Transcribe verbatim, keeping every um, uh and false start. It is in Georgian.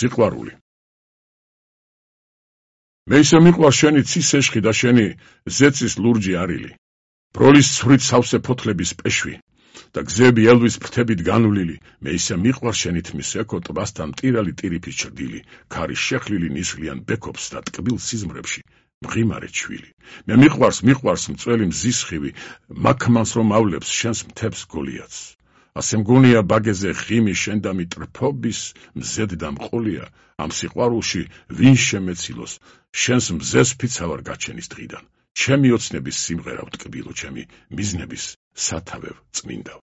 სიყვარული. მე ისე მიყვარს შენი ცისეშხი და შენი ზეცის ლურჯი არილი, ბროლის ცვრით სავსე ფოთლების პეშვი და გზები ელვის ფრთებით განვლილი. მე ისე მიყვარს შენი თმის ეკო ტბასთან მტირალი ტირიფის ჩრდილი, ქარის შეხლილი ნისლიან ბექობს და ტკბილ სიზმრებში მღიმარე ჩვილი. მე მიყვარს, მიყვარს მწველი მზის ხივი, მაქმანს რომ ავლებს შენს მთებს გოლიათს. ასე მგონია ბაგეზე ხიმი შენდამი ტრფობის მზედ დამყოლია, ამ სიყვარულში ვინ შემეცილოს, შენს მზეს ფიცავარ გაჩენის დღიდან. ჩემი ოცნების სიმღერა ვტკბილო, ჩემი მიზნების სათავევ წმინდავ.